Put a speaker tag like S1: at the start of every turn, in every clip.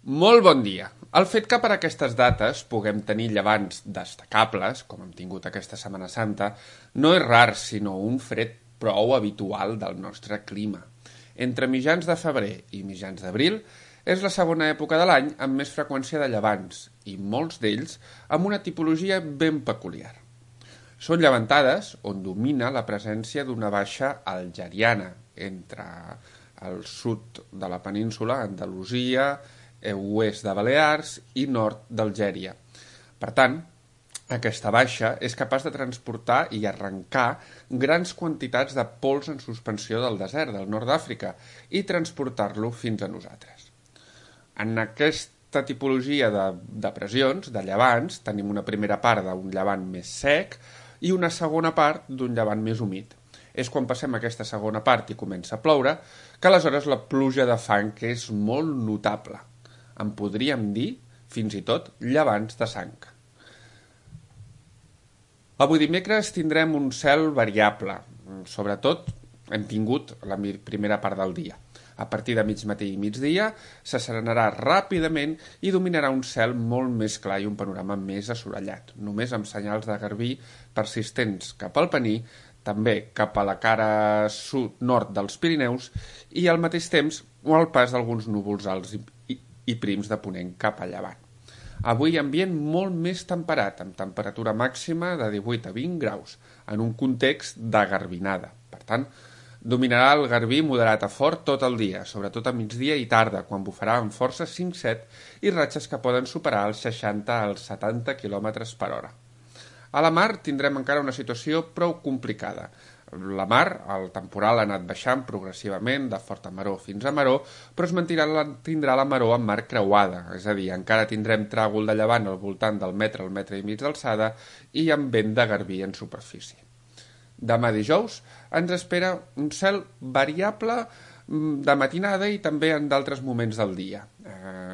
S1: Molt bon dia. El fet que per aquestes dates puguem tenir llevants destacables, com hem tingut aquesta Setmana Santa, no és rar, sinó un fred prou habitual del nostre clima. Entre mitjans de febrer i mitjans d'abril és la segona època de l'any amb més freqüència de llevants, i molts d'ells amb una tipologia ben peculiar. Són llevantades on domina la presència d'una baixa algeriana entre el sud de la península, Andalusia, oest de Balears i nord d'Algèria. Per tant, aquesta baixa és capaç de transportar i arrencar grans quantitats de pols en suspensió del desert del nord d'Àfrica i transportar-lo fins a nosaltres. En aquesta tipologia de pressions, de llevants, tenim una primera part d'un llevant més sec i una segona part d'un llevant més humit. És quan passem aquesta segona part i comença a ploure que aleshores la pluja de fang és molt notable. En podríem dir, fins i tot, llevants de sang. Avui dimecres tindrem un cel variable. Sobretot hem tingut la primera part del dia. A partir de mig matí i migdia s'asserenarà ràpidament i dominarà un cel molt més clar i un panorama més assolellat, només amb senyals de garbí persistents cap al Pení, també cap a la cara sud-nord dels Pirineus i al mateix temps el pas d'alguns núvols alts i prims de ponent cap a llevant. Avui ambient molt més temperat, amb temperatura màxima de 18 a 20 graus, en un context de garbinada. Per tant, dominarà el garbí moderat a fort tot el dia, sobretot a migdia i tarda, quan bufarà amb força 5-7 i ratxes que poden superar els 60 als 70 km per hora. A la mar tindrem encara una situació prou complicada. La mar, el temporal ha anat baixant progressivament de forta maror fins a maror, però tindrà la maror amb mar creuada, és a dir, encara tindrem tràgol de llevant al voltant del metre al metre i mig d'alçada i amb vent de garbí en superfície. Demà dijous ens espera un cel variable de matinada i també en d'altres moments del dia.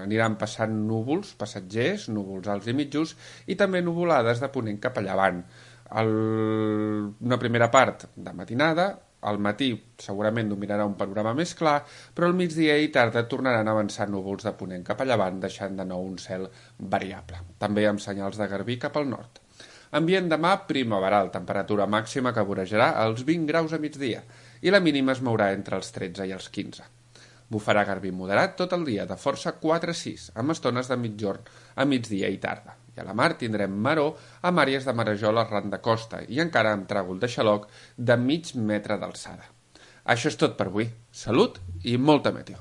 S1: Aniran passant núvols passatgers, núvols alts i mitjos i també nuvolades de ponent cap a llevant. Una primera part de matinada, al matí segurament dominarà un panorama més clar, però al migdia i tarda tornaran a avançar núvols de ponent cap a llevant, deixant de nou un cel variable, també amb senyals de garbí cap al nord. Ambient demà primaveral, temperatura màxima que vorejarà els 20 graus a migdia i la mínima es mourà entre els 13 i els 15. Bufarà garbí moderat tot el dia, de força 4-6, amb estones de mitjorn a migdia i tarda. I a la mar tindrem maror amb àrees de marejol arran de costa i encara amb tràgol de xaloc de mig metre d'alçada. Això és tot per avui. Salut i molta meteo.